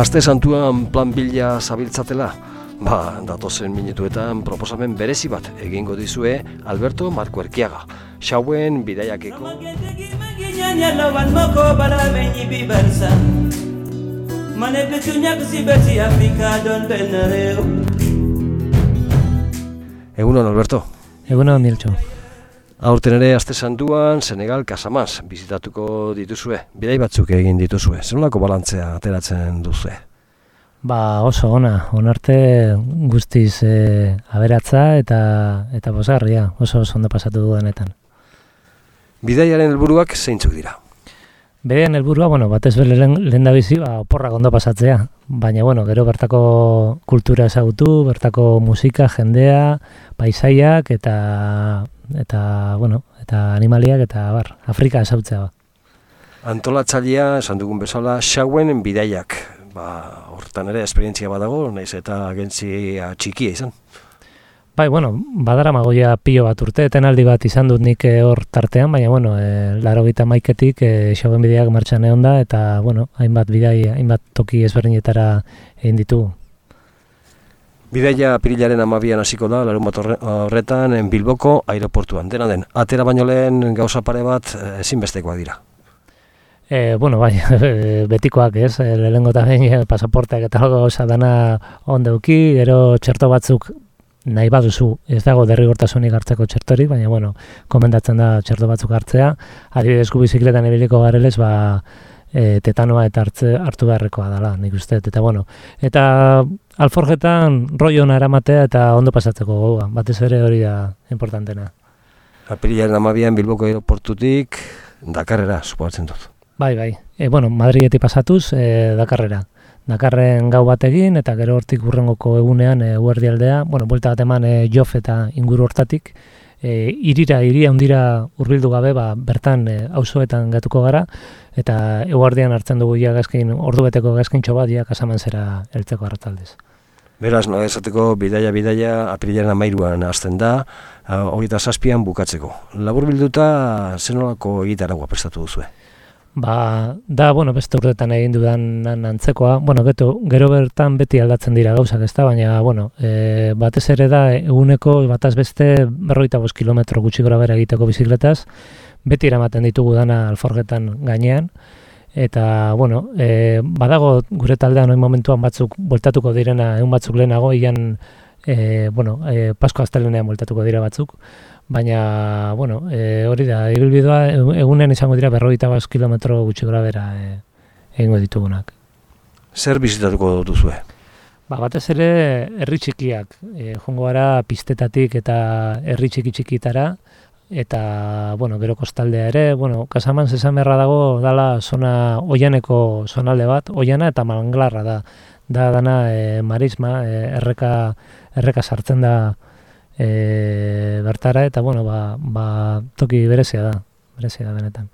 Aste santuan plan bila zabiltzatela? Datozen minutuetan proposamen berezi bat egingo dizue Alberto Marko Erkiaga, Xauen bidaiakeko Egunon, Alberto. Egunon, Niltxo. Aurten ere aste santuan Senegal Casamance bizitatuko dituzue, bidai batzuk egin dituzue. Zer nolako balantzea ateratzen duzue? Oso onarte guztiz aberatza eta pozgarria, oso ondo pasatu dudanetan. Bidaiaren helburuak zeintzuk dira? Bidaiaren helburua, batez bere lehendabizi oporrak ondo pasatzea, baina gero bertako kultura ezagutu, bertako musika, jendea, paisaiak eta animaliak eta Afrika ezagutzea. Antolatzailea, esan dugun bezala, Xauen bidaiak. Hortan ere esperientzia badago, nahiz eta agentzia txikia izan. Badara magoia pilo bat urte, etenaldi bat izan dut nik hor tartean, baina 81etik Xauen bidaiak martxan egon da, eta hainbat toki ezberdinetara egin ditugu. Bidaia apirilaren 12an hasiko da, larunbat horretan, Bilboko aireportuan. Dena den, atera baino lehen gauza pare bat ezinbestekoak dira. Betikoak ez, lehenengo eta behin pasaporteak eta gauza dana ondeuki, gero txerto batzuk nahi baduzu, ez dago derrigortasunik hartzeko txertorik, baina komendatzen da txerto batzuk hartzea, adibidez gu bizikletan ibiliko garelez, tetanoa eta hartu beharrekoa dela, nik uste, eta alforjetan rollo ona eramatea eta ondo pasatzeko gogoa, batez ere hori da importantena. Apirilaren 12an Bilboko aeroportutik Dakarrera, suposatzen dut. Madriletik pasatuz Dakarrera. Dakarren gau bat egin eta gero hortik hurrengoko egunean eguerdialdea, buelta bat eman Jof eta inguru hortatik, hiri handira hurbildu gabe, bertan auzoetan gatuko gara, eta eguerdian hartzen dugu ordubeteko gazkintxo bat Casamancera heltzeko arratsaldez. Beraz, esateko bidaia apirilaren 13an hasten da, 27an bukatzeko. Laburbilduta zer nolako egitaragua prestatu duzue? Beste urtetan egin dudan antzekoa, gero bertan beti aldatzen dira gauzak, ezta, baina, batez ere da eguneko bataz beste 45 kilometro gutxi gora bera egiteko bizikletaz, beti eramaten ditugu dana alforgetan gainean, eta, badago gure taldean oin momentuan batzuk bueltatuko direna, egun batzuk lehenago, Pasko astelenean bueltatuko dira batzuk, baina, hori da, ibilbidea egunean izango dira 45 kilometro gutxi gora bera egingo ditugunak. Zer bizitatuko duzue? Batez ere, herri txikiak, joango gara pistetatik eta herri txikitara, eta, gero kostaldea ere, Casamance esan beharra dago, dala zona oianeko zonalde bat, oiana eta manglarra da. Dana marisma, erreka sartzen da bertara, eta, toki berezia da benetan.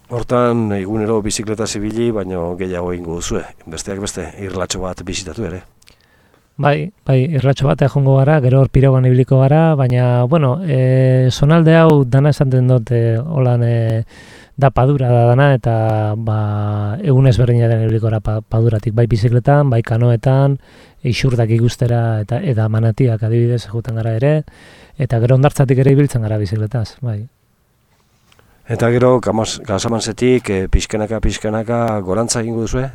Hortan, egunero bizikleta zibili, baina gehiago egingo duzue, besteak beste, irlatxo bat bizitatu ere. Irratxo bat joango gara, gero hor pirogan ibiliko gara, baina, zonalde hau dana esaten dut, holan da padura da dana, eta egun ezberdinaren ibiliko gara paduratik, bai bizikletan, bai kanoetan, isurdak ikustera eta manatiak adibidez eguten gara ere, eta gero hondartzatik ere ibiltzen gara bizikletaz, bai. Eta gero, Casamancetik pixkanaka gorantza egingo duzue?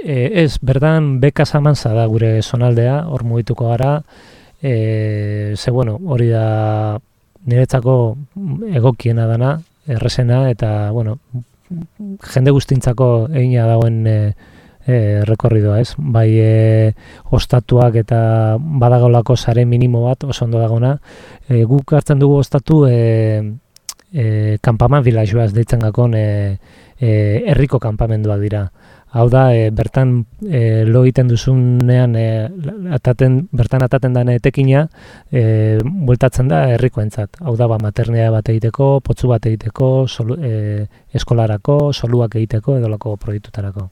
Ez, berdan Casamance da gure zonaldea, hor mugituko gara, hori da niretzako egokiena dana, errezena, eta, jende guztintzako egina dagoen rekorridoa, ez? Ostatuak eta badagolako sare minimo bat, oso ondo dagona. Guk hartzen dugu ostatu kanpaman vilajoaz deitzen gakon herriko kanpamenduak dira. Hau da, bertan lo egiten duzunean, bertan ataten den etekina, bueltatzen da herrikoentzat. Hau da, maternea bat egiteko, potzu bat egiteko, eskolarako, soluak egiteko, edolako proiektutarako.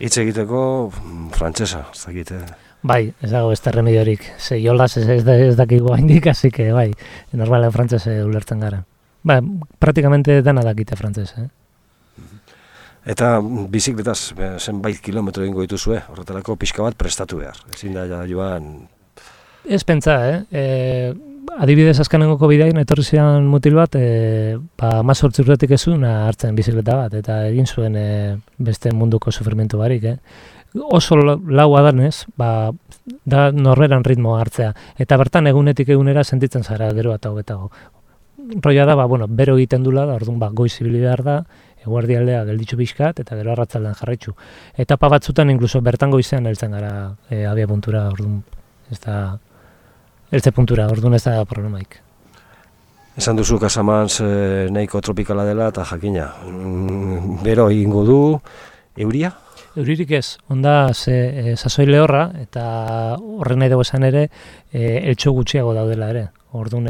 Hitz egiteko, frantsesa, ez dakite. Ez dago beste remediorik. Jolaz ez dakigu haindik, así que normalen frantsese ulertzen gara. Praktikamente dana dakite frantsese. Eta bizikletaz zenbait kilometro egingo dituzue, horretarako pixka bat prestatu behar. Ezin da joan... Ez pentsa, adibidez azkenengoko bidean etorri zian mutil bat, 18 urtetik ez zuen hartzen bizikleta bat, eta egin zuen beste munduko sufrimentu barik. Oso laua danez, da norberan ritmoa hartzea, eta bertan egunetik egunera sentitzen zara gero eta hobetago. Roia da, bero egiten dula, orduan goiz ibili behar da, eguerdialdea gelditxu pixkat, eta gero arratzaldean jarraitzu. Etapa batzutan inkluso bertan goizean heltzen gara abia puntura, orduan ez da... Eltze puntura, orduan ez da problemaik. Esan duzu Casamance nahiko tropikala dela eta jakina. Bero egingo du, euria? Euririk ez, onda sasoi lehorra eta horren nahi dugu esan ere eltxo gutxiago daudela ere. Orduan,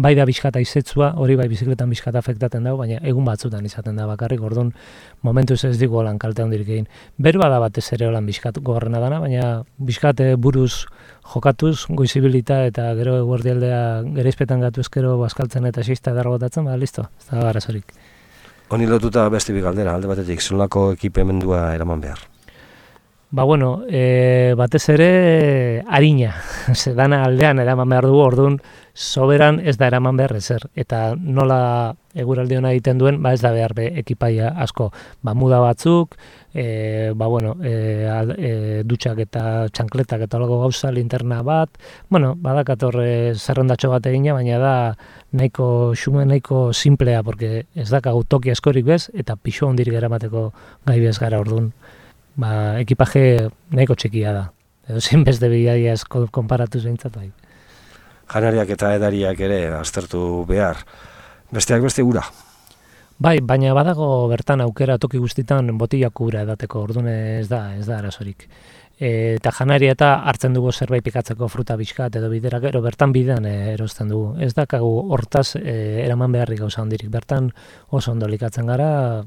bai da bizkata izetzua, hori bai bizikletan bizkata afektaten dago, baina egun batzutan izaten da bakarrik, orduan momentuz ez digu holan kalte handirik egin. Berua da batez ere holan bizkat gogorrena dana, baina bizkate buruz jokatuz, goizibilita eta gero eguerdialdea gereizpetan gatu ezkero bazkaltzen eta xista edarro botatzen, listo, ez da garazorik. Honi lotuta beste bi galdera, alde batetik, zelako ekipamendua eraman behar? Batez ere harina, dana aldean eraman behar dugu, orduan soberan ez da eraman behar ezer, eta nola eguraldi hona egiten duen, ez da behar ekipaia asko, muda batzuk, dutxak eta txankletak eta olago gauza, linterna bat, badakator zerrendatxo bat egina, baina da nahiko xume, nahiko simplea, porque ez dakagu toki askorik bez, eta pixo hondirik eramateko gai bez gara orduan. Ekipaje nahiko txikia da, edo zinbeste bidaia esko konparatuz behintzat bai. Janariak eta edariak ere aztertu behar, besteak beste ura? Bai, baina badago bertan aukera toki guztitan botilak ura edateko, orduan ez da arazorik. Eta janaria eta hartzen dugu zerbait pikatzeko fruta bizkat edo bidera gero bertan bidean erosten dugu. Ez dakagu hortaz eraman beharrik gauza handirik. Bertan oso ondo likatzen gara,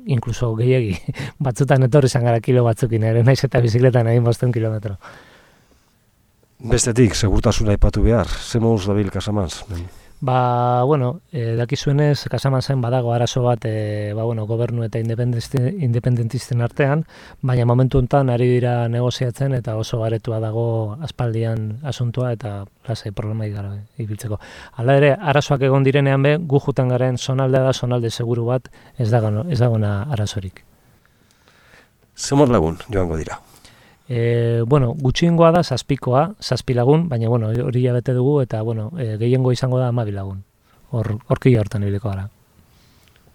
inkluso gehiegi. Batzutan etorri izan gara kilo batzukin ere, naiz eta bizikletan egin 500 kilometro. Bestetik, segurtasuna aipatu behar, ze moduz dabil Casamance? Dakizuenez, Casamancen badago arazo bat, gobernu eta independentisten artean, baina momentu honetan ari dira negoziatzen eta oso aretua dago aspaldian asuntua eta lasai problemaik gara ibiltzeko. Hala ere, arazoak egon direnean gu juten garen zonaldea da zonalde seguru bat ez dagona arazorik. Zemot lagun joango dira? Gutxiengoa da 7 lagun, baina hori bete dugu eta gehiengo izango da 12 lagun. Horki hortan ibiliko gara.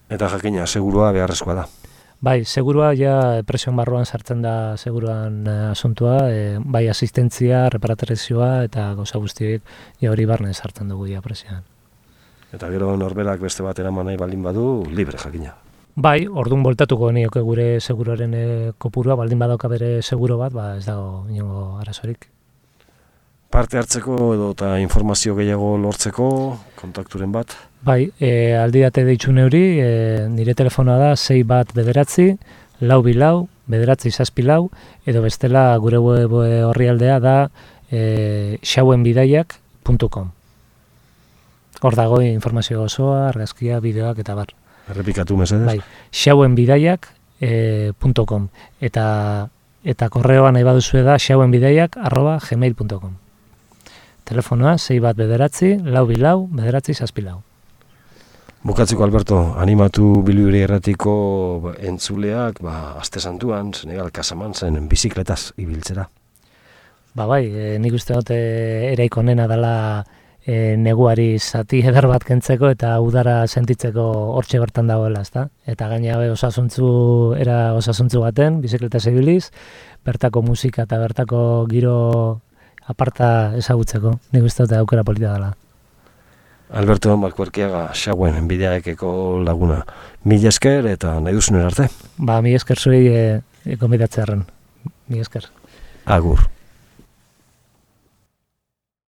Eta jakina, segurua beharrezkoa da. Bai, segurua ja presion barruan sartzen da seguruan asuntua, bai asistentzia, reparatorezioa eta gauza guztiek hori barne sartzen dugu ja presioan. Eta gero norberak beste bat eraman nahi baldin badu, libre jakina. Bai, orduan voltatuko nioke gure seguroaren kopurua, baldin badauka bere seguro bat, ez dago inongo arazorik. Parte hartzeko edo eta informazio gehiago lortzeko, kontakturen bat? Bai, aldidate deitzu neuri, nire telefonoa da 6-4-4, edo bestela gure web orrialdea da xauenbidaiak.com. Hor dago informazio osoa, argazkia, bideoak eta bar. Errepikatu mesedez? Bai, xauenbidaiak.com eta korreoa nahi baduzue da xauenbidaiak@gmail.com. Telefonoa 6-4-4, Bukatzeko, Alberto, animatu Bilibili Erratiko entzuleak, aste santuan, Senegal Casamancen bizikletaz ibiltzera. Bai, nik uste dut eraiko onena dela neguari zati eder bat kentzeko eta udara sentitzeko hortxe bertan dagoela, ezta? Eta gaina osasuntzu baten, bizikletaz ibiliz, bertako musika eta bertako giro aparta ezagutzeko. Nik uste dut aukera polita dela. Alberto Malkuerkiaga, Xauen Bidaiakeko laguna. Mila esker eta nahi duzunen arte? Mila esker zuei konbidatzearen. Mila esker. Agur.